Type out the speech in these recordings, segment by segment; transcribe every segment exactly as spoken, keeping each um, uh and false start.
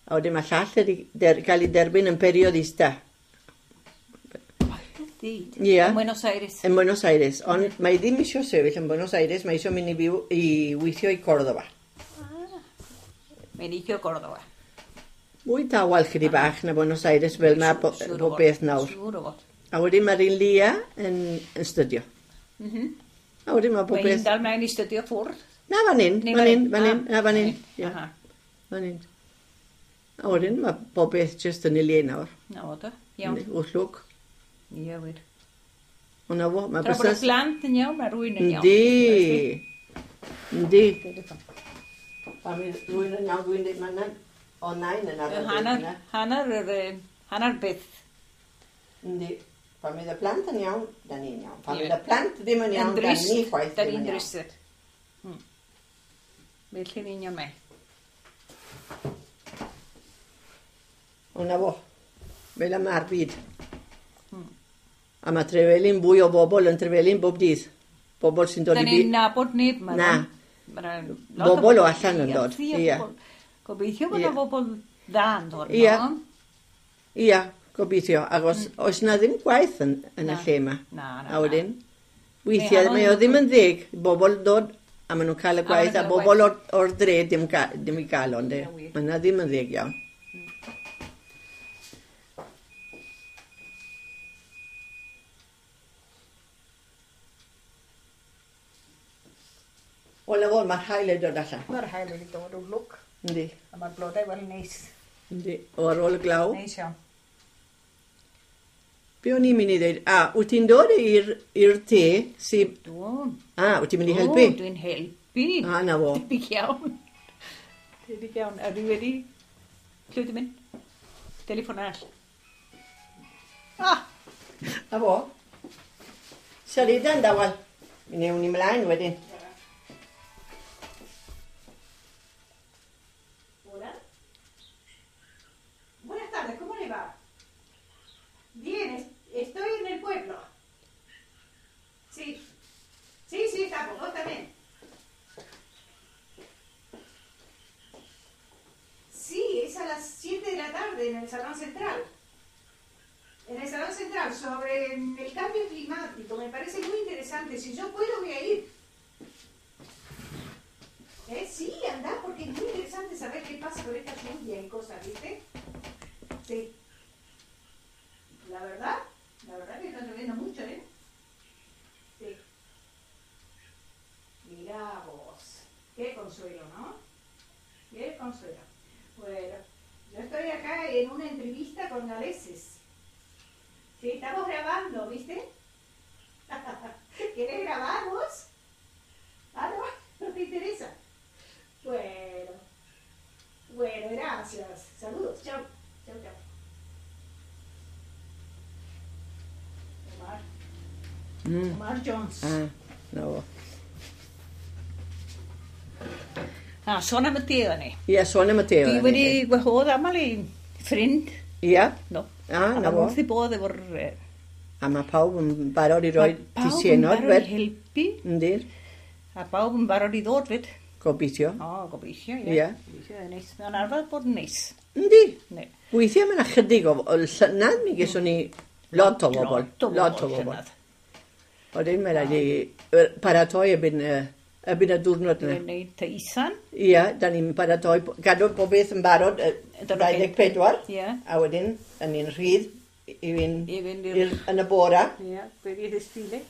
A wedyn mae llall wedi der, cael ei derbyn yn periodista. Ie. Yn Buenos Aires. Yn Buenos Aires. Ond mae ddim eisiau sefyll yn Buenos Aires, mae eisiau mynd i fyw i weithio i Cordoba. Ah. Mae'n eisiau Cordoba. Mwy tawel chydig bach na Buenos Aires fel mae po, pob beth nawr. Siŵr o fod. A wedyn mae'r un Lia yn, yn stydio. Mm -hmm. A wedyn mae pob beth... Mae'n dal mlaen i stydio ffwrdd. Na, fan hyn, fan hyn, fan hyn, na, fan hyn. Fan hyn. A wedyn mae bob beth jyst yn ei le nawr. Na o da, iawn. Wrth lwc. Ie, wir. O na fo, mae Tra bod y plant yn iawn, mae rhywun yn iawn. Yndi. Yndi. A mi rhywun yn iawn, dwi'n dweud, mae'n o nain yn arfer. Hanner, hanner, yr, hanner beth. Yndi. Pan fydd y plant yn iawn, da ni'n iawn. Pan fydd y plant ddim yn iawn, da ni chwaith ddim yn iawn. Da ni'n drist. Felly'n union mae. O na fo, fel y mae'r byd. Hmm. A mae Trevelin fwy o bobl yn Trevelin bob dydd. Bobl sy'n dod i byd. Da ni'n nabod neb. Na. Bobl o allan yn dod. Ia. Gobeithio bod yna bobl dda yn dod. Ia. Ia, gobeithio. Achos oes na ddim gwaith yn, yn y lle yma. Na, na, A wedyn, weithiau mae o ddim yn ddeg. Bobl dod a maen nhw'n cael y gwaith a bobl o'r, or dre dim, ddim i gael ond. Mae yna ddim yn ddeg iawn. Wel, na fo, mae'r haul wedi dod allan. Mae'r haul wedi dod o'r lwc. Yndi. A mae'r blodau wel neis. Yndi. O, ar ôl y glaw. Neis iawn. Be o'n i'n mynd i ddweud? A, wyt ti'n dod i'r i'r te sy... Dwi'n. A, wyt ti'n mynd i helpu? O, dwi'n helpu. A, na fo. Debyg iawn. Debyg iawn. A dwi wedi... Lle wyt ti'n mynd? Telefon arall. Ah! Na fo. Siarida'n dawel. Mi newn ni mlaen wedyn. Buenas tardes, ¿cómo le va? Bien, estoy en el pueblo. Sí, sí, sí, estamos, vos también. Sí, es a las siete de la tarde en el Salón Central. En el Salón Central, sobre el cambio climático, me parece muy interesante. Si yo puedo, voy a ir. ¿Eh? Sí, andá, porque es muy interesante saber qué pasa con esta lluvia y cosas, ¿viste? Sí. La verdad, la verdad que está lloviendo mucho, ¿eh? Sí. Mirá vos. Qué consuelo, ¿no? Qué consuelo. Bueno, yo estoy acá en una entrevista con galeses. Sí, estamos grabando, ¿viste? ¿Querés grabar vos? Ah, no, no te interesa. Bueno, bueno, gracias. Saludos, chao. Chao, chao. Omar. Mm. Omar Jones. Ah, no. Ah, sôn am y te o'n i. Ie, sôn am y te o'n i. Dwi wedi gwahodd aml i ffrind. Ie. No. Ah, na fo. A wrth i bodd efo'r... A mae pawb yn barod i roi tisienod. Pawb yn barod i helpu. Yndi. A pawb yn barod i ddod fyd. Gobeithio. O, gobeithio, ie. Ie. Gobeithio, neis. Mae'n arfer bod yn neis. Yndi. Ne. Weithiau mae'n ychydig o... Llynedd mi geswn ni lot o bobl. Lot o bobl. Lot o bobl. Wedyn mae rhaid i paratoi erbyn, erbyn y diwrnod yna. Dwi'n gwneud teisan. Ie, da ni'n paratoi, gadw pob beth yn barod, dau ddeg pedwar. Ie. A wedyn, da ni'n rhydd i fynd, I fynd i'r, yn y bora. Ie, be di desfile?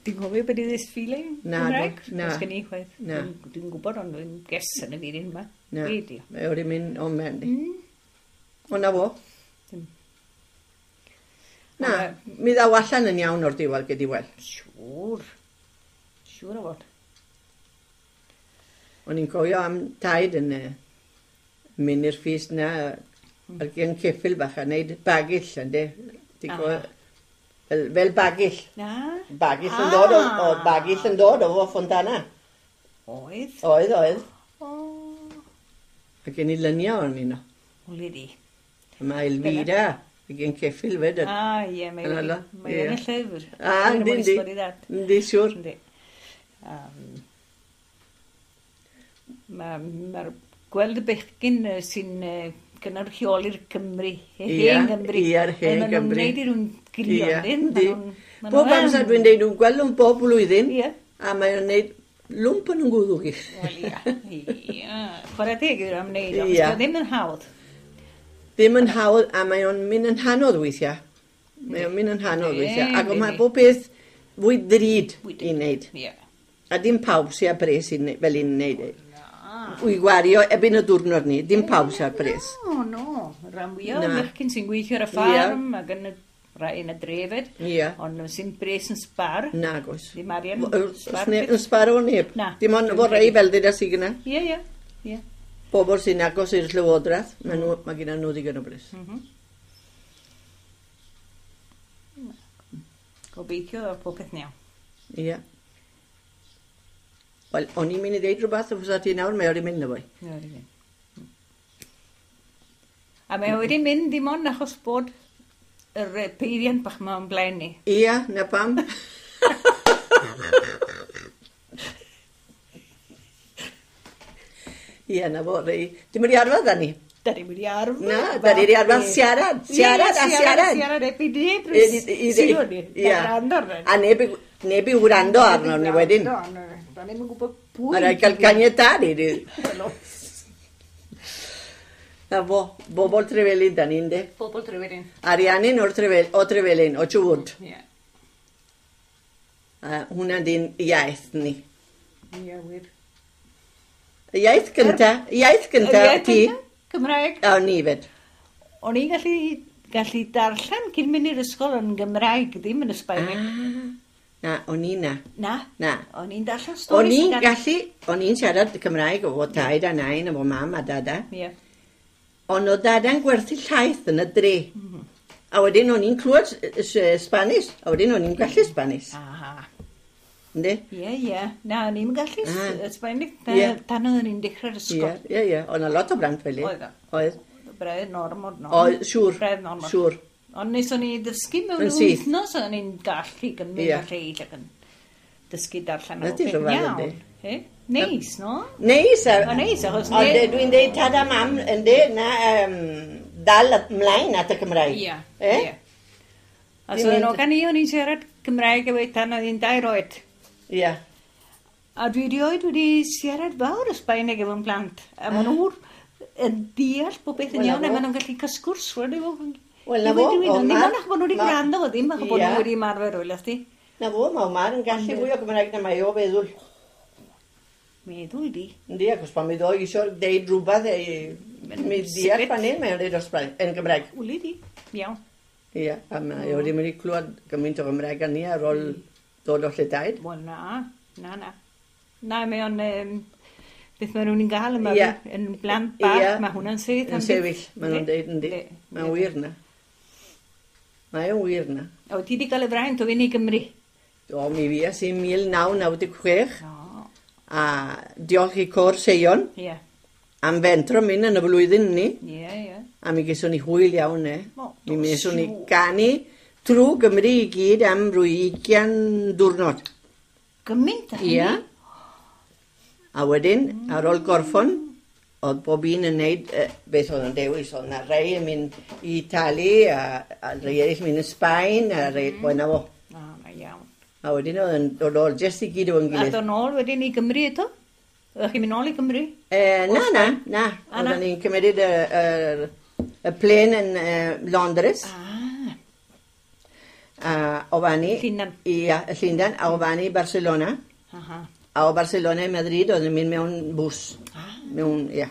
Ti'n cofio be di desfile? Na, Cymraeg? na. Oes gen i chwaith. Na. Dwi'n gwybod, ond dwi'n guess yn y byd yma. Na. Be di? Mae wedi mynd o'n mewn. O, na fo. Na, mi ddaw allan yn iawn o'r diwedd gyda wel. Siŵr. Siŵr o fod. O'n i'n cofio am taid yn uh, mynd i'r ffis na ar gen ceffyl bach a wneud bagill, ynddi? Ti'n cofio? Fel, fel bagill. Na. Bagill yn dod o, o bagill yn dod o fo Fontana. Oedd? Oedd, oedd. O. A gen i lyniau o'n un o. Wli di. A mae Elvira. Gen ceffyl fyd. Ah, ie, mae yn y llyfr. Ah, yndi, yndi. Yndi, siŵr. Yndi. Mae'r Gweld y bechgyn sy'n cynrychioli'r Cymru, y hen Gymru. Ie, yr hen Gymru. Maen nhw'n gwneud i rhywun grion, dyn. Bob amser dwi'n deud, nhw'n gweld nhw'n bob blwyddyn, a maen nhw'n gwneud lwmp yn ngwddw i. Wel, ia. Ia. Chwarae teg yw'r am wneud, ond ddim yn hawdd. Ddim yn hawdd, a mae o'n mynd yn hanodd weithiau. Mae o'n mynd yn hanodd weithiau. Ac mae bob beth fwy ddrud i wneud. A dim pawb sy'n â bres fel i'n wneud. Wy gwario erbyn y diwrnod ni, dim pawb sy'n â bres. No, no. Rhan fwyaf o merchyn sy'n gweithio ar y ffarm ac yn y rai yn y drefyd, yeah. Ond sy'n bres yn sbar. Nag oes. Ddim arian sbar. Yn sbar o neb. Na. Dim ond fo rei fel dyd a sydd gyna. Ie, ie. Ie. Bobl sy'n agos i'r llywodraeth, mm. nhw, mae gyda nhw ddigon o bres. Mm -hmm. Gobeithio o popeth yn iawn. Ie. Wel, o'n i'n mynd i ddeud rhywbeth wrth ti nawr, mae wedi mynd na fwy. Mae wedi mynd. A mae wedi mynd dim ond achos bod yr peiriant bach ma o'n blaen ni. Ia, na pam. Ia, na fo, rei. Dim wedi arfer da ni. Da ni wedi arfer. Na, da ni wedi arfer siarad. Siarad a siarad. Siarad ebi neb. Siarad ni. Ia. A neb, neb i wrando arno ni wedyn. Da ni'n gwybod pwy. Mae rhaid cael caniatâd i ni. Na fo, bobl Trevelin da ni'n de. Bobl Trevelin. Ariannin o'r Trefel, o Trevelin, o Chubut. Ie. A hwnna di'n iaith ni. Ie, wir. Y iaith gynta, iaith gynta ti. Cymraeg. O, ni fed. O'n i'n gallu, gallu darllen cyn mynd i'r ysgol yn Gymraeg, ddim yn y Sbaeneg. Ah, na, o'n i na. Na? Na. O'n i'n darllen storis. O'n i'n gallu, o'n i'n siarad Cymraeg o taid a nain, efo mam a dada. Ie. Ond oedd dada'n gwerthu llaeth yn y dre. Mm -hmm. A wedyn o'n i'n clywed Spanish, a wedyn o'n i'n gallu Spanish. Aha. Yndi? Ie, ie. Na, o'n i'n gallu Sbaeneg yeah. tan oedden ni'n dechrau'r ysgol. Ie, ie, ie. Oedd 'na lot o blant fel i. Oedd o. Oedd. Braidd normod, no. Oedd, siŵr. Braidd normod. Siŵr. Ond nes o'n i ddysgu mewn wythnos, o'n i'n gallu gymryd yeah. a lleill ac yn dysgu darllen o beth iawn. Eh? Neis, no? Neis. O, neis, achos... Ond dwi'n deud tad a mam, yndi, na, um, dal ymlaen at y Cymraeg. Ie, eh? ie. A so yn ogan i, o'n i'n siarad Cymraeg efo tan oedd hi'n dair oed. Ie. A dwi erioed wedi siarad fawr y Sbaeneg efo'n plant. A maen nhw'n yn deall bob beth yn iawn, a maen nhw'n gallu cael sgwrs. Wel, na fo. Ddim ond achos bod nhw wedi gwrando fo ddim, achos bod nhw wedi ymarfer o'i ti. Na fo, mae Omar yn gallu fwy o Gymraeg na mae o feddwl. Meddwl di. Yndi, achos pan mi ddoi eisiau deud rhywbeth, mi ddeall fan hyn, mae'n deud o yn Gymraeg. Wli di, iawn. Ie, a mae o ddim wedi clywed gymaint o Gymraeg â ni ar ôl dod o lledaid. Wel, na, na, na. Na, mae o'n, um, beth maen nhw'n gael yma, yeah. yn blant bach, yeah. Mae hwnna'n syth. Yn sefyll, maen nhw'n deud, yndi. Mae'n wir na. Mae o'n wir na. O, ti wedi cael y fraint o fynd i Gymru? Do, mi fues i mil naw naw deg chwech. No. A diolch i Côr Seion yeah. am fentro mynd yn y flwyddyn ni. Ie, yeah, ie. Yeah. A mi geson ni hwyl iawn, e. Oh, mi geson ni ganu trwy Gymru i gyd am rwy ugian diwrnod. Gymaint a hynny? Ie. A wedyn, mm. ar ôl gorffon, oedd bob un yn neud uh, beth oedd yn dewis. Oedd na rei yn mynd i Itali, a, a rei eraill mynd i Sbaen, a rei... Mm. Wel, na fo. Ah, na iawn. A wedyn oedd yn dod ôl jyst i gyd o'n gilydd. A dod nôl wedyn i Gymru eto? Oeddech chi'n mynd nôl i Gymru? E, na, na, na. Oedden ni'n cymryd y, y, y plen yn uh, Londres. Ah. A o fanny... Llundain. Ia, Llundain. A o fanny Barcelona. Aha. A o Barcelona i Madrid oedden ni'n mynd mewn bws. Ah. Mewn, ia.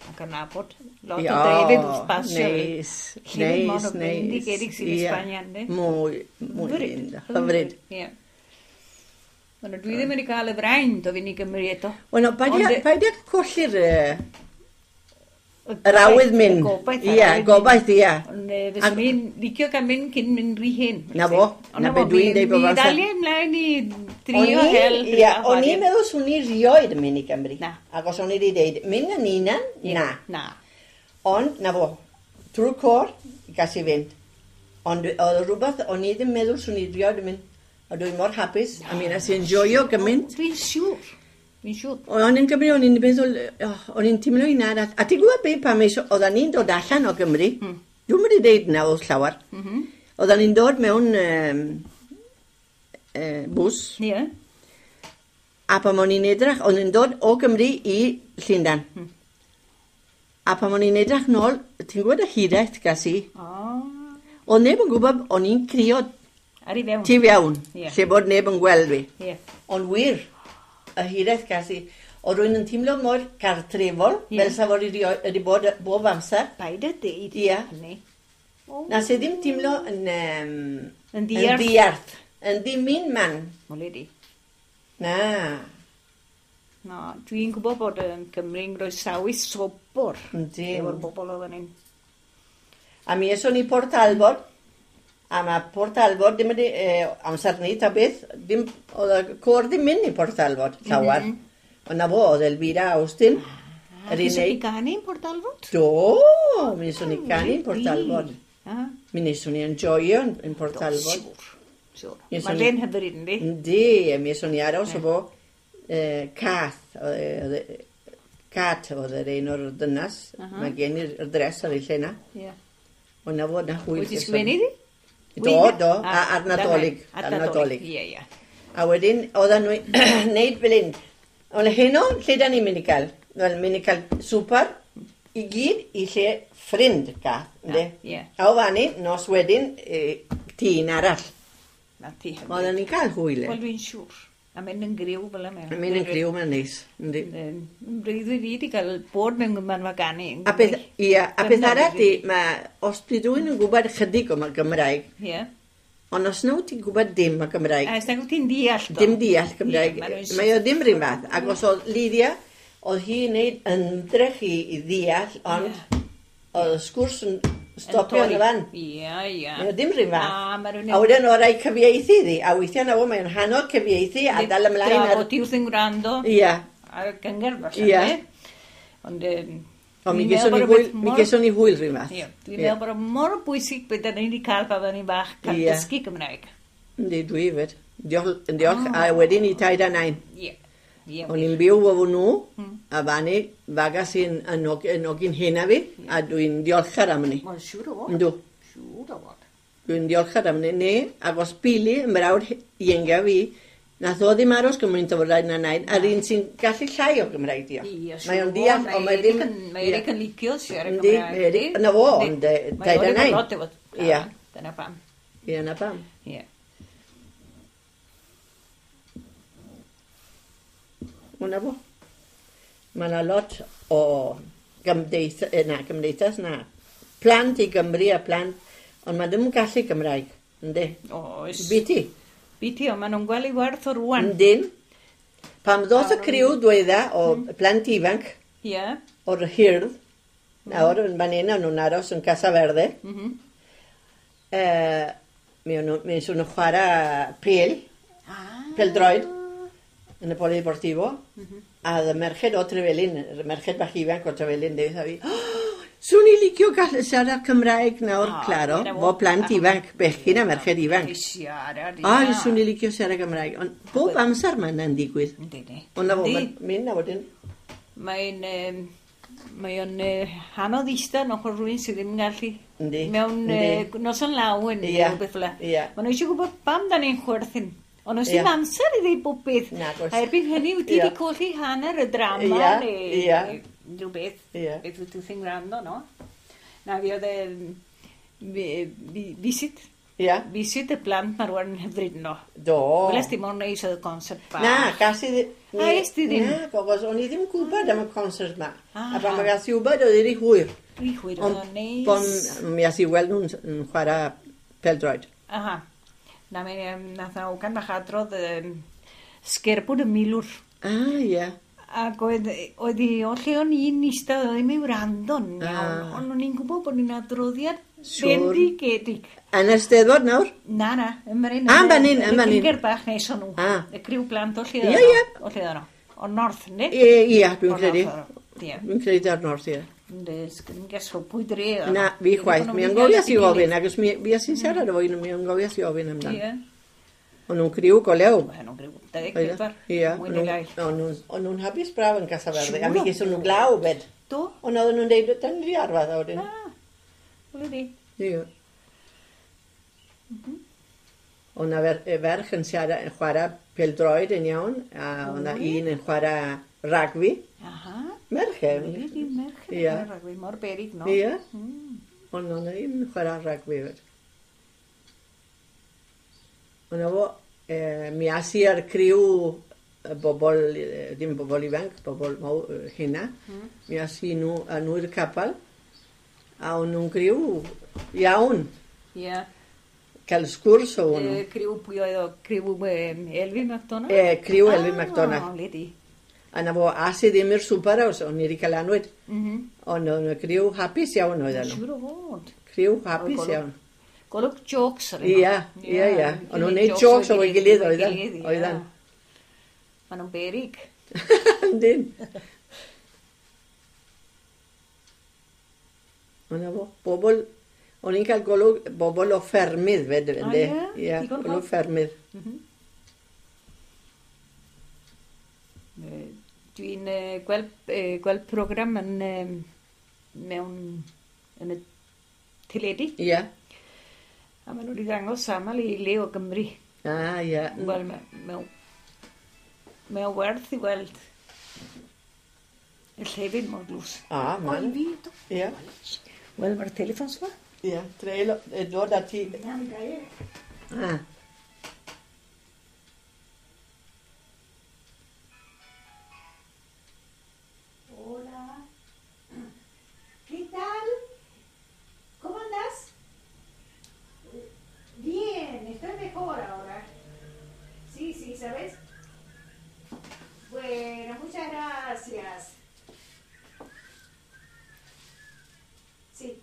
Ac yn nabod lot o drefydd wrth basio. Neis, neis, neis. Bendigedig sy'n Sbania, ynddi? Mwy, mwy linda. Hyfryd. Ie. Wel, dwi ddim wedi cael y fraint o fynd i Gymru eto. Wel, no, paid â colli'r yr awydd mynd. Gobaith. Ia, gobaith, ia. Ond fyswn i'n licio cael mynd cyn mynd rhy hen. Na fo, na be dwi'n deud bob Mi amser. ddaliai ymlaen i drio hel. Ia, o'n i'n meddwl swn i rioed yn mynd i Gymru. Na. Ac os o'n i wedi deud, mynd yn unan, na. Na. Ond, na fo, trwy'r côr, gas i fynd. Ond oedd rhywbeth, o'n i ddim meddwl swn i rioed yn mynd. A dwi'n mor hapus, a mi nes i enjoio gymaint. Dwi'n siŵr. Fi'n siŵr. O'n i'n Gymru, o'n i'n meddwl, oh, o'n i'n teimlo un arall. A ti'n gwybod beth pam eisiau, oedden ni'n dod allan o Gymru, mm. Dwi'n mynd i ddeud na wrth llawer. Mm -hmm. Oedden ni'n dod mewn um, uh, bws. Ie. Yeah. A pan o'n i'n edrych, o'n i'n dod o Gymru i Llundain. Mm. A pan o'n i'n edrych nôl, ti'n gwybod y hiraeth gas i? Oh. Oedd neb yn gwybod, o'n i'n crio ar i fewn. Tu fewn, yeah. Lle bod neb yn gweld fi. Yeah. Ond wir, y hiraeth gas i, oedd rwy'n yn teimlo mor cartrefol, yeah. Fel sa fod wedi bod bob amser. Paid a deud yeah. hynny. Oh. Nas i ddim teimlo yn, um, yn ddiarth. Yn ddiarth. Yn ddim un man. Mwle di. Na. Na, dwi'n gwybod bod yn Cymru'n groesawu sobor. Yndi. Efo'r bobl oedden ni'n. A mi eson ni Port Talbot, a mae Port Talbot ddim wedi, eh, amser ni ta beth, ddim, oedd y côr ddim mynd i Port Talbot, llawer. Mm -hmm. Ond na fo, oedd Elvira Austin. Ah, mi eson ni ganu yn Port Talbot? Do, mi eson ni ganu yn Port Talbot. Ah. Mi eson ni enjoyo yn Port Talbot. Do, siŵr. Siŵr. Mae'n len hyfryd, yndi? Yndi, a mi eson ni aros o fo eh, Cath, oedd, Cat oedd yr un o'r dynas. Uh -huh. Mae gen i'r dres ar ei lle na. Yeah. Ond na fod na hwyl. Wedi sgwennu di? Do, do, a, ar Nadolig. Ar Nadolig, ie, ie. A wedyn, oedden nhw'n neud fel un. Ond heno, lle da ni'n mynd i gael? Wel, mynd i cael swper i gyd i lle ffrind Cath, ynddi? Ie. A o fanny, nos wedyn, e, tîn arall. Na ti hyfryd. Oedden ni'n cael hwyl. Wel, dwi'n siŵr. A mynd yn griw fel yma. Mynd yn griw, mae'n neis. Yndi. Yn breuddwyd i wedi cael bod mewn gymanfa ganu. A beth, ia, a beth arall di, mae, os di rhywun yn gwybod chydig o Gymraeg, Ie. ond os na wyt ti'n gwybod dim o Gymraeg, A os nag wyt ti'n deall do? dim deall Gymraeg, Ie, ma' mae o ddim rhywun fath. Ac os oedd Lydia, oedd hi'n neud ymdrech i, i ddeall, ond Ie. oedd y sgwrs yn stopio yn y fan. Ie, ie. Mae o ddim rhywun fath. Na, ma' rhywun A wedyn oedd rhaid cyfieithu iddi, a weithiau na fo, mae'n hannog cyfieithu a dal ymlaen Tra ar... bod ti wrth yn gwrando Ie. ar y gyngerdd falle. Ie. ne? Ond yym, Ond mi dwi'n geson meddwl ni bod hwyl, rhywbeth mi mor- geson ni hwyl rhywun fath. Ie, dwi'n meddwl bod o mor bwysig beth da ni wedi cael pan oedden ni'n bach, cael Ie. dysgu Gymraeg. Yndi, dwi hefyd. Diolch, diolch, a wedyn i taid a nain. Ie. Ie. O'n i'n byw efo nhw, a fanny, fagas i'n yn og- yn ogyn hyn a fi, a dwi'n diolchgar am hynny. Wel, siŵr o fod. Yndw, Siŵr o fod. dwi'n diolchgar am hynny. Ne, ac os Billy, yn mrawd ienga fi, nath o ddim aros gymaint o fod na nain, a'r un sy'n gallu llai o Gymraeg dio. Ie, Mae o'n deall, ond mae Eric ddim... yn- Mae Eric yn licio siarad Yndi, Cymraeg. mae Eric- na fo, ond, yy, Mae taid a o nain. lot efo- Ie. Dyna pam. Ie, na pam. Ie. Hwna fo. Mae yna lot o gymdeith, eh, na, gymdeithas, na. Plant i Gymru a plant, ond mae ddim yn gallu Gymraeg, yndi? Oes. Biti, Biti, ond maen nhw'n gweld i werth o rwan. yndyn. Pam ddoth y criw dwedda o plant ifanc Ie. o'r hyrdd, nawr yn fan hyn, o'n nhw'n aros yn Casa Verde, Mhm. eh, mi o'n nhw- mi o'n nhw'n chwarae pêl, Ah. pêl-droed, yn y Polideportivo, a oedd y merched o Trefelin, y merched bach ifanc o Trefelin, dweud a fi, oh, swn i licio gallu siarad Cymraeg nawr, Ah, claro, dyna fo. fo plant Ah. ifanc, bechgyn a merched ifanc. I siarad, ie. Ai, swn i licio siarad Cymraeg, ond bob amser mae yna'n digwydd. Yndi, ni. Ond na fo, Yndi. mae'n mynd na wedyn. Mae'n... yym, Mae o'n uh, anodd eistedd yn ochr rhywun sydd ddim yn gallu. Yndi, Mewn yndi. uh, noson lawen neu Ie, rhywbeth fel 'na. ie. Maen nhw eisiau gwybod pam da ni'n chwerthin. Ond oes Ie. dim amser i ddeud bob beth. Nag oes. A erbyn hynny, wyt ti Ie. wedi colli hanner y drama Ie, neu ie. neu rhyw beth. Ie. Beth wyt ti'n gwrando, no? Na, fi oedd e... fi- Visit. Ie, Visit y plant ma rwan yn hyfryd no. do. Weles di mor neis oedd y concert bach. Na, gas i ddim... A es di ddim? Na, gogos, o'n i ddim yn gwybod am y concert ma. Ah. A pan mae gas i wybod, oedd hi hwyr. Dwi hwyr oedd Ond o'n neis. bon, mi as i weld nhw'n yn chwarae pêl-droed. Aha. Na, mi um, nath na ogan bach adrodd um, sgerbwd y milwr. Ah, ie. Ac oedd, oedd hi o lle o'n i'n eistedd, oedd ddim i wrando'n iawn, Ah. ond o'n i'n gwybod bod ni'n adroddiad Siŵr. bendigedig. Yn y Steddfod nawr? Na, na, yn fan hyn. Ah, yn fan hyn, yn fan hyn. Cyngor bach nes o'n nhw. Ah. Y criw blant o lle Ie, oedd ie. o. O lle oedd nhw. O North, yndi? Ie, ie, dwi'n O'r credu. North oedd nhw. Ie. Dwi'n credu ar North, ie. Yndi, sgyn gesio pwy dre oedd Na, nhw. fi chwaith. Dwi'n Mi gwybod angofias i bod nhw wedi ofyn, ac os mi, fi as i'n siarad efo un, mi angofias i ofyn amdan. Ie. O'n nhw'n criw go lew. O'n nhw'n criw dau ddeg pedwar. Ia. Mwy neu lai. O'n nhw'n hapus braf yn Casa Verde. A mi geson nhw glaw fed. Do. Ond oedden nhw'n deud, dyn ni arfer a wedyn. Ah, wele di. Ie. O'n na ferch yn siarad, yn chwarae pêl-droed yn iawn, a o'n na un yn chwarae ragbi. Aha. Merch e. Wele di, merch yn chwarae ragbi, mor berig no. Ie. Ond o'n na un yn chwarae ragbi fed. Ond efo, eh, mi as i ar criw bobl, dim bobl ifanc, bobl mawr hynna, mm. Mi as i nhw, a nhw i'r capel, a o'n nhw'n criw iawn. Ie. Yeah. Cael sgwrs o nhw. E, criw pwy oedd o? Criw um, Elvin McDonald? E, criw ah, Elvin McDonald. Ah, ledi. A na fo, as i ddim i'r swper os, o'n i wedi cael anwyd. Mm -hmm. Ond o'n criw hapus iawn oedd nhw. Siŵr o fod. Criw hapus iawn. Golwg jokes ar yno. Ia, ia, ia. O'n nhw'n neud jokes o'i gilydd oedden. Oedden. Maen nhw'n berig. Yndyn. Ond fo, bobl, o'n i'n cael golwg bobl o ffermydd fed, ynddi. Ie, golwg ffermydd. Dwi'n gweld, gweld program yn, mewn, yn y teledu. Ie. A maen nhw wedi ddangos aml i le o Gymru. Ah, ie. Wel, mae o werth i weld y llefydd mor dlws. Ah, man. Ie. Wel, mae'r teleffon sma. Ie, treul, dod ati. Ah. Hola. ¿Qué tal? ¿Cómo andas? Bien, estoy mejor ahora. Sí, sí, ¿sabes? Bueno, muchas gracias. Sí.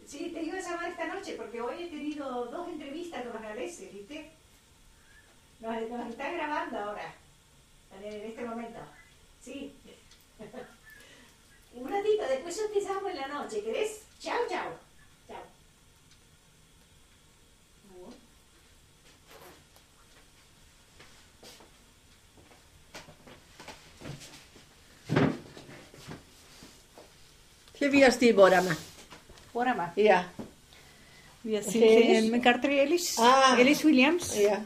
Sí, te iba a llamar esta noche porque hoy he tenido dos entrevistas con los galeses, ¿viste? Nos, nos están grabando ahora, en este momento. Sí. Un ratito, después yo te llamo en la noche, ¿querés? Chao, chao. Chao. Lle fues di bore yma? Bore yma? Ia. Fues i yn gartre Elis. Ah. Elis Williams. Ia.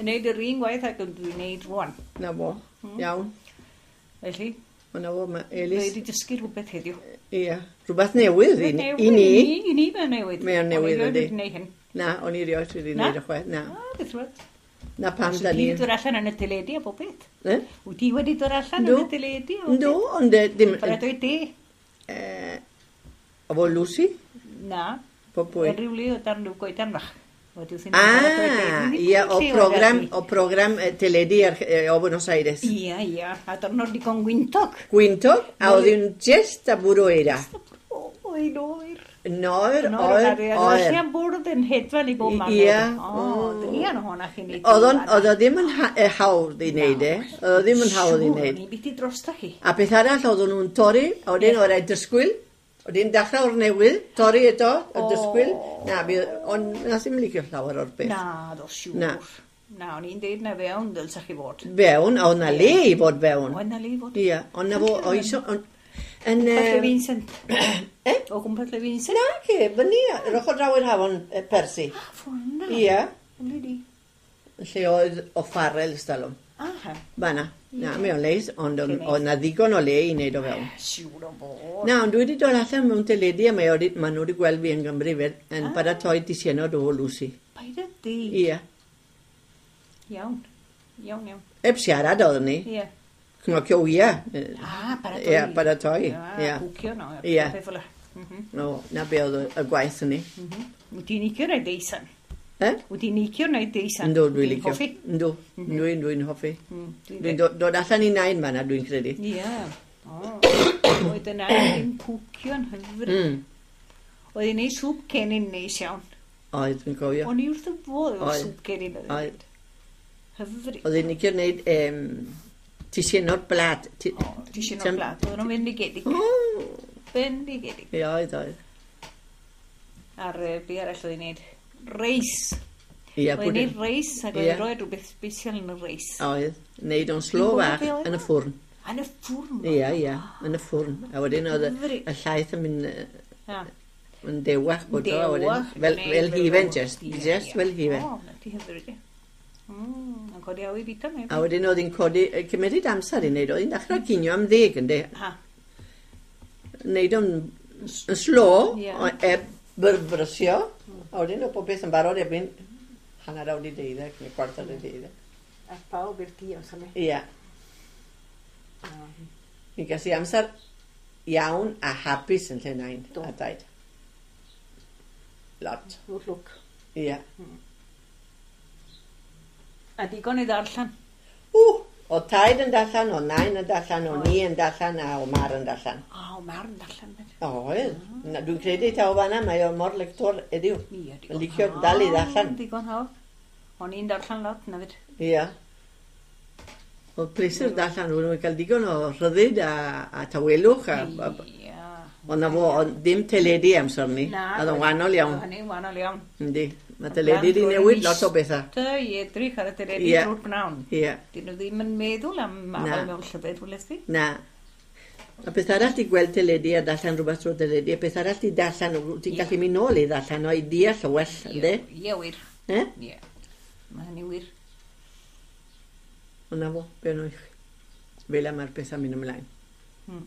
Yn neud yr un gwaith ac yn dwi'n neud rwan. Na fo, iawn. Felly. Na fo, mae Elis. Dwi wedi dysgu rhywbeth heddiw. Ia. Rhywbeth newydd i ni. I ni. I ni mae'n newydd. Mae o'n newydd yndi. Na. Na, o'n i rioed wedi neud y chwaith. Na. Ah, beth rhywbeth. Na pam da ni. Wyt ti wedi dod allan yn y teledu a bob beth? Eh? Wyt ti wedi dod allan yn y teledu? Yndw, ond dim... Paratoi te. Efo Lucy? Na. Po pwy? Yn rhyw le o dan rhyw goedan fach. Ah, ia, o program, o program teledu o Buenos Aires. Ia, ia, a diwrnod digon gwyntog. Gwyntog, a oedd hi'n just a bwrw eira. Just a bwrw, oer, oer. Yn oer, oer, oer. Oedd o'n bwrdd yn hedfan i bob man. Ia. O, druan ohona chi'n neud. Oedd o ddim yn hawdd i wneud e. Oedd o ddim yn hawdd i wneud. Siŵr, ni biti drosta chi. A beth arall, oedden nhw'n torri, a wedyn oedd rhaid disgwyl. Oedd hi'n dechrau o'r newydd, torri eto, y disgwyl. Na, ond nas i'm licio llawer o'r beth. Na, do, siŵr. Na. Na, o'n i'n deud na fewn dylsa chi fod. Fewn, a oedd na le i fod fewn. Oedd na le i fod. Ia, ond na fo, oes o... Yn... Gwmpas le Vincent. Eh? O gwmpas le Vincent? Na, ce, fyny, yr ochr draw i'r hafon Percy. Ah, ffordd na. Ia. Wle di. Lle oedd o ffarel ystalwm. Aha. Fanna. Na, mae o'n leis, ond oedd na ddigon o le i wneud o fewn. Siŵr o fod. Na, ond dwi wedi dod allan mewn teledu a mae ma nhw wedi gweld fi yn Gymru fed, yn ah. paratoi disienod o Lucy. Paid â deud. Ia. Iawn. Iawn, iawn. Eb siarad oeddwn ni. Ia. Cnocio wya. Ah, paratoi. Ia, paratoi. Ia, cwcio no. Ia. Peth fel 'na. No, na be oedd y gwaith yn ni. Wyt ti'n licio neud deisan? Eh? Wyt ti'n licio neud deisan? Yndw, dwi'n licio. Hoffi? Yndw, dwi'n dwi'n hoffi. Dwi'n dod allan i nain fan'na, dwi'n credu. Ia. Oedd y nain yn cwcio'n hyfryd. Oedd hi'n neud sŵp cennin neis iawn. Oedd, dwi'n cofio. O'n i wrth y bodd efo sŵp cennin. Oedd. Hyfryd. Oedd hi'n licio neud tisienod blad. O, tisienod blad. Oedden nhw'n fendigedig. Bendigedig. Ie, oedd, oedd. A'r be arall oedd hi'n neud? Reis. Ia, Oedd hi'n reis ac oedd hi'n rhoi rhywbeth special yn y reis. Oedd. Neud o'n slo fach yn y ffwrn. Yn y ffwrn? Ia, ia, yn y ffwrn. A wedyn oedd y llaeth yn mynd yn dewach bod o. Dewach. Fel, fel hufen, just, just fel hufen. O, na ti hyfryd. Mm, yn codi awy bita me. A wedyn oedd hi'n codi, cymeryd amser i wneud, oedd hi'n dechrau cinio am ddeg, ynddi? Ha. Wneud o'n yn slo, e byrbrysio, a wedyn oedd popeth yn barod erbyn hanner awr i deuddeg, neu chwarter i deuddeg. A pawb i'r dios am e. Ia. Mi ges i amser iawn a hapus yn lle nain a daid. Lot. Lwc lwc. Ia. A digon i ddarllen? Ww! O taid yn darllen, o nain yn darllen, o ni yn darllen, a o mar yn darllen. O, o mar yn darllen. Oedd. Dwi'n credu taw fan'na, mae o mor lector heddiw. Ie, digon. Yn licio dal i ddarllen. Digon hawdd. O'n i'n darllen lot, na fyd. Ia. Oedd pleser darllen, o'n i'n cael digon o rhyddid a, a tawelwch. A, a, Ia. Ond na fo, ond dim teledu amser ni. Na. Oedd o'n wahanol iawn. Oedd hynny'n wahanol iawn. Yndi. Mae teledu wedi newid lot o bethau. Dy i edrych ar y teledu yeah. drwy'r pnawn. Ie. Dyn nhw ddim yn meddwl am afael mewn llyfr, weles di? Na. A beth arall di gweld teledu a darllen rhywbeth drwy'r teledu, a beth arall di darllen, ti'n gallu mynd nôl i ddarllen o i deall o well, ynddi? Ie, wir. Eh? Ie. Mae hynny wir. Ond na fo, be nhw i chi. Fel mae'r pethau mynd ymlaen. Hmm.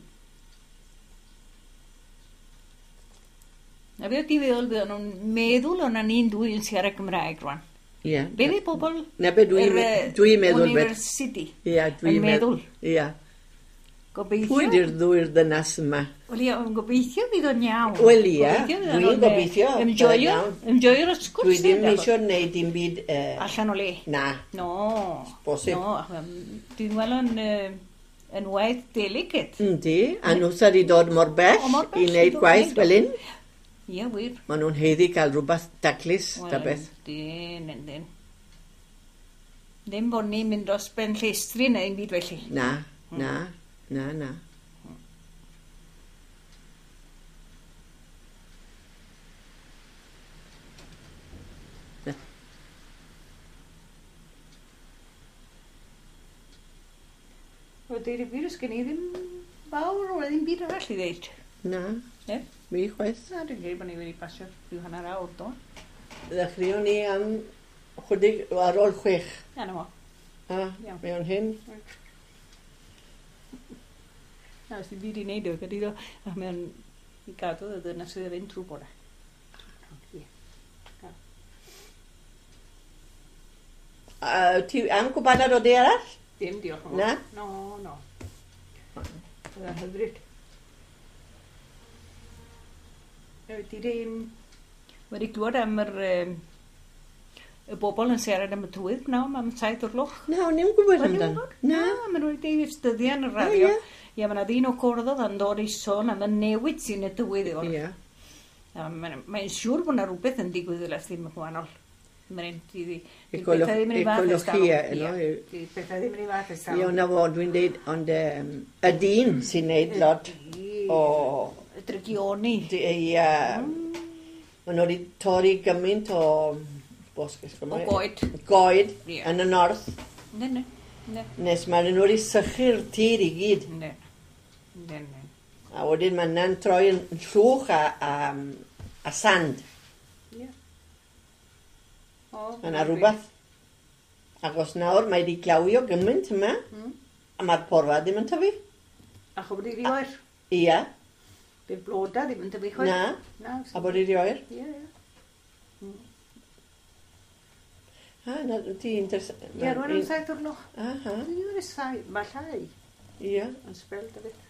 Na be oedd ti'n feddwl, bydden nhw'n meddwl o'na ni'n dwy yn siarad Cymraeg rwan. Ie. Be fydd pobl Na be dwi'n dwi meddwl university Ie, dwi'n yn meddwl. Ie. Gobeithio. Pwy di'r ddwy'r ddynas yma? Wel ie, ond gobeithio fydd o'n iawn. Wel ie, dwi'n gobeithio. Enjoyo, enjoyo'r sgwrs. Dwi ddim eisiau gwneud dim byd... Uh, allan o le. Na. No. Bosib. No, dwi'n weld yn... Uh, yn waith delicate. Yndi, a nhw sydd wedi dod mor bell, o, mor bell i wneud gwaith fel un. Ie, wir. Maen nhw'n haeddu cael rhywbeth daclus, ta beth. Yndyn, yndyn. Ddim bod ni'n mynd dros ben llestri neu un byd felly. Na, na, na, na. Na. Wel, deud y gwir, os gen i ddim fawr o ddim byd arall i ddeud. Na. Ne? Mi chwaith. Na, dwi'n credu bod ni wedi pasio rhyw hanner awr, do. Ddechreuwn ni am chydig ar ôl chwech. Na, na fo. A, mewn hyn. Na, os ddim byd i wneud o, gyda iddo. A mewn i gadw y dyna sydd yn fynd trwy bore. Ie. A ti am gwpanad o de arall? Dim, diolch yn fawr. Na? No, no. Byddai'n hyfryd. Wedi wedi glywed am yr, um, y bobl yn siarad am y tywydd pnawn am saith o'r gloch. Na, o'n i'n gwybod amdano. Na, maen nhw wedi dyddiau yn y radio. Ie, mae yna ddyn o Corddodd yn dod i sôn am y newid sy'n y tywydd. Ie. Mae'n mae siŵr bod yna rhywbeth yn digwydd fel ddim yn gwahanol. Mae'n Ecologia, no? Di pethau ddim yn ei fath ers talwm. Ie, na fo, dwi'n deud, ond y dyn sy'n neud lot o... Y drygioni. Ie. Maen nhw wedi torri gymaint o... O goed. Goed, yn y north. Ne, ne. Nes maen nhw wedi sychu'r tir i gyd. Ne. Ne, ne. A wedyn maen nhw'n troi yn llwch a, a, a sand. Ie. Mae yna rhywbeth. Ac os nawr mae wedi glawio gymaint yma, mm. a mae'r porfa ddim yn tyfu. A chwbod i oer? Ia. Bydd bloda ddim yn tyfu chwaith? Na. Na. A bod i oer? Ie, ie. Mm. Ha, na, ti interes... Ie, rwan am saith o'r gloch. Aha. Dwi'n saith, mae llai. Ie. Yn sbel, dy beth.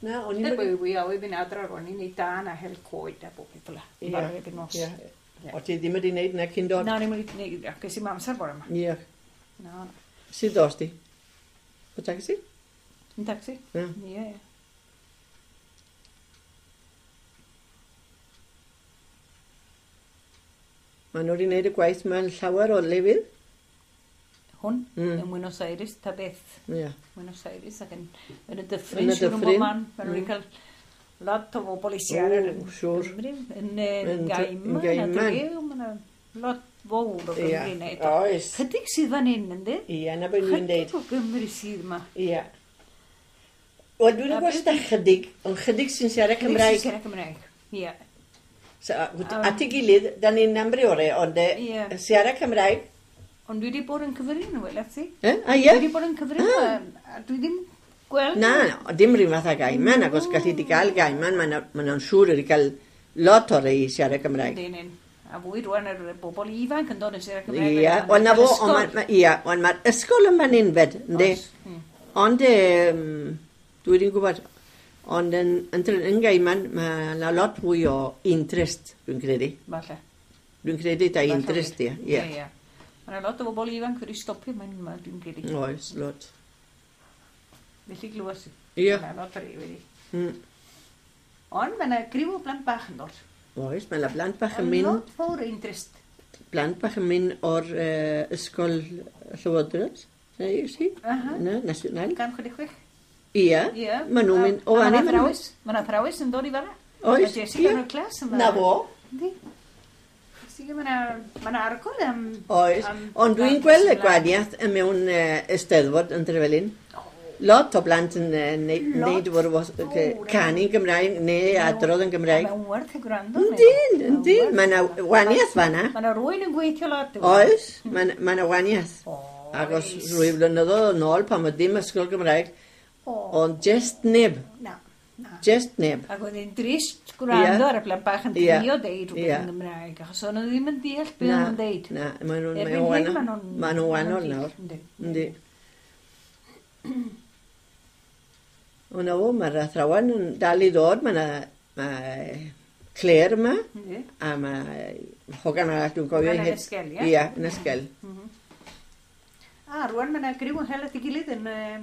Na, o'n i'n... Dwi wi awy fynd adra rwan i'n neud dan a hel coed a bob peth fel 'na. Ie. Barod erbyn nos. Ie. O ti ddim wedi wneud na cyn dod? Na, o'n i'm wedi wneud, ges i'm amser bore yma. Ie. Na, na. Sut ddos di? O taxi? Yn taxi. Ie. Ie, ie. Maen nhw wedi wneud y gwaith mewn llawer o lefydd. Hwn, mm. yn Buenos Aires, ta beth. Ie. Buenos Aires ac yn, yn y dyffryn, siŵr yn bob man. Maen nhw wedi cael lot o bobl i siarad. O, siŵr. Yn, yn Gaiman, a Drew, Lot fawr o Gymru yna eto. Oes. Chydig sydd fan hyn, yndi? Ie, na beth dwi'n deud. Chydig o Gymru sydd yma. Ie. Wel, dwi'n gwybod da chydig, ond chydig sy'n siarad Cymraeg. Chydig sy'n siarad Cymraeg, ie. So, at ei gilydd, da ni'n amryore, ond yeah. siarad Cymraeg. Ond dwi wedi bod yn cyfrin, wel, ti? Eh? A ie? Dwi wedi bod yn cyfrin, a dwi ddim gweld... Na, na, dim rhyw fath â Gaiman, ac os gallu di gael Gaiman, maen nhw'n siŵr wedi cael lot o'r ei siarad Cymraeg. Yndyn, yn. A fwy rwan yr bobl ifanc yn dod yn siarad Cymraeg. Ie, ond na fo, ond mae'r ysgol yn fan hyn fed, yndi? Ond, dwi ddim gwybod, ond yn, yn, yn Gaiman, mae yna lot fwy o interest, dwi'n credu. Falle. Dwi'n credu da interest, ie. Ie, ie. Mae yna lot o bobl ifanc wedi stopio, mae'n ma, dwi'n credu. Oes, lot. Felly glywes i. Ie. Mae yna lot o'r ei wedi. Mm. Ond mae yna griw o blant bach yn dod. Oes, mae yna blant bach yn mynd... Lot fawr o interest. Blant bach yn mynd o'r uh, ysgol Llywodraeth, neu si? Aha. Na, national. Gan chwech chwech. Ie, Ie. Maen nhw'n mynd... O, Mae anni, yna maen nhw'n... athrawes. Mae yna athrawes yn dod i fanna. Oes, Mae Jessica yn y clas yn fanna. Na fo. Yndi. Jessica, mae yna ma argol am... Oes, am ond dwi'n blant gweld y ymlaen. gwahaniaeth yn mewn uh, Eisteddfod yn Trevelin. Lot o blant yn uh, neud fawr, canu Gymraeg neu adrodd yn Gymraeg. Mae'n werth y gwrando. Yndyn, yndyn. Mae yna waniaeth fanna. Mae yna rwy'n yn gweithio lot. Oes, mae yna waniaeth. Oes. Ac os rwy flynyddoedd yn ôl pan oedd dim ysgol Gymraeg, ond just neb. Na, na. Just neb. Ac oedd hi'n drist gwrando ar y plant bach yn Ie. trio deud rhywbeth Ie. yn Gymraeg, achos o'n nhw ddim yn deall beth o'n nhw'n deud. Na, maen nhw'n Erbyn hyn, maen nhw'n- maen nhw'n wahanol maen nhw'n nawr. yndi. Yndi. O na fo, mae'r athrawon yn dal i ddod, mae yna mae Claire yma, Yndi. a mae hogan arall dwi'n cofio. Yn hi- Ysgel, ie? Ie, yn Ysgel. A rwan mae yna griw yn hel at ei gilydd yn, yy,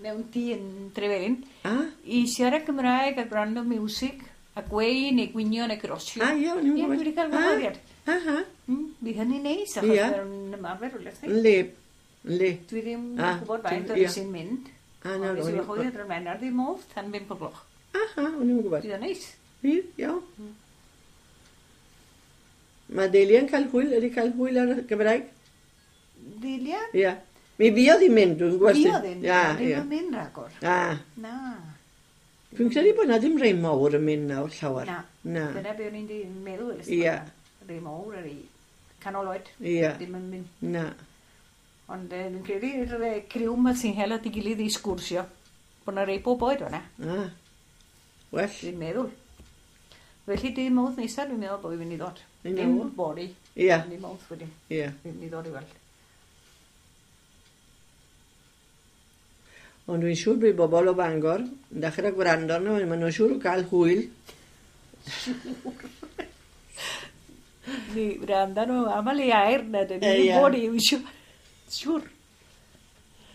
mewn tŷ yn Trefelin Ah, i siarad Cymraeg a gwrando miwsig a gweu neu gwinio neu grosio. ah, ie, o'n i'n Ie, gwybod. dwi wedi cael Ah, gwahoddiad. Aha, Mm, Fydd hynny'n neis, achos Ie. mae'n ymarfer rhywle. yndi, yndi. Dwi ddim yn Ah, gwybod faint dwi'n- o'n ie. sy'n mynd. Ah, na, Ond o'n nes i i'n wahoddiad ar Wener ddim modd tan bump o gloch. Aha, o'n i'n gwybod. Fydd o'n neis. Fydd, iawn. Mae Delia'n cael hwyl, ydy cael hwyl ar y Gymraeg? Delia? Ie. Mi fuodd hi'n mynd, dwi'n gwybod. Fuodd hi'n Ia, ddim ie. yn mynd rhagor. Ah, Na. dwi'n credu bod na ddim rhai mawr yn mynd nawr llawer. Na. Na. Dyna be o'n i'n di- meddwl. ers Ie. bod Rhai mawr ar ei canol oed. Ie. Ddim yn mynd. Na. Ond eh, dwi'n credu'r eh, criw yma sy'n hel at ei gilydd i sgwrsio. Bod na rei bob oed o'na. Ah. Well, Dwi'n meddwl. Felly dydd Mawrth nesaf dwi'n meddwl bod fi'n mynd i ddod. I Dim know. bori. Ie. Dydd Mawrth wedyn. ie. Dwi'n mynd i ddod i weld. Ond dwi'n siŵr bydd bobl o Bangor yn dechrau gwrando arno, maen nhw'n siŵr o gael hwyl. Ni wrando nhw aml i air na, dyn Ie, ni'n ie. bod i, siŵr. Siŵr.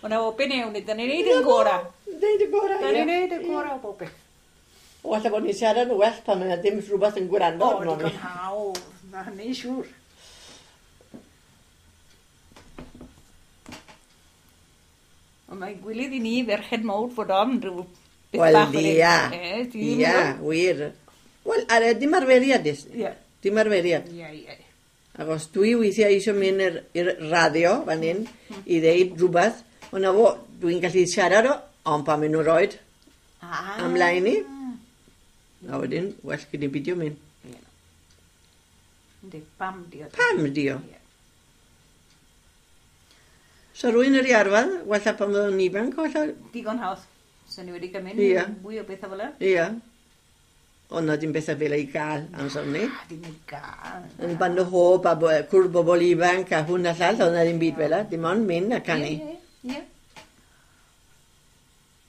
Ond o ben ewn, dyn ni'n neud yn gora. Neud y gorau, Dyn ie. ni'n neud y gora o bob beth. O, alla bod ni'n siarad yn well pan mae 'na ddim rhywbeth yn gwrando O, arno ni. digon hawdd. Na hynny'n siŵr. Ond mae'n gwilydd i ni ferched mawr fod on rhyw beth Wel, bach fel hyn. ia. Eh, ti ddim yn Ia, gwbod? wir. Wel, ar y dim arferiad, is. Ie. Dim arferiad. Ie, ie. Ac os dwi weithiau eisiau mynd i'r i'r radio fan hyn i ddeud rhywbeth, ond na fo, dwi'n gallu siarad o, ond pan maen nhw'n roed Ah. ymlaen i, a wedyn, well gyda beidio mynd. Ie. Yndi, pam di o. Pam di o? Ie. So rwy'n yr i arfer, wella pan fyddwn yn ifanc, wella, Digon hawdd. So ni wedi cael mynd Ie. mwy o bethau fel 'na. ia. Ond na dim bethau fel ei gael amser ni. Ah, dim i gael. Yn band o hob a bo- cwrdd bobl ifanc a hwn a llall, oedd na ddim byd fel 'na, dim ond mynd a canu. Ie, ie, ie.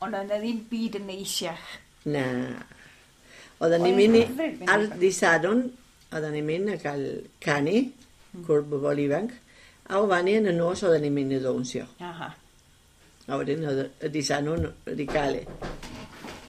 Ond oedd 'na ddim byd yn neisiach. Na. Oedden ni'n Oedd mynd i, hyfryd mynd ar i'r ddydd Sadwrn, oedden ni'n mynd a cael canu, cwrdd bobl ifanc, a o fan yn y nos oedden ni'n mynd i ddawnsio. Aha. A wedyn oedd y dydd Sadwrn wedi cael e.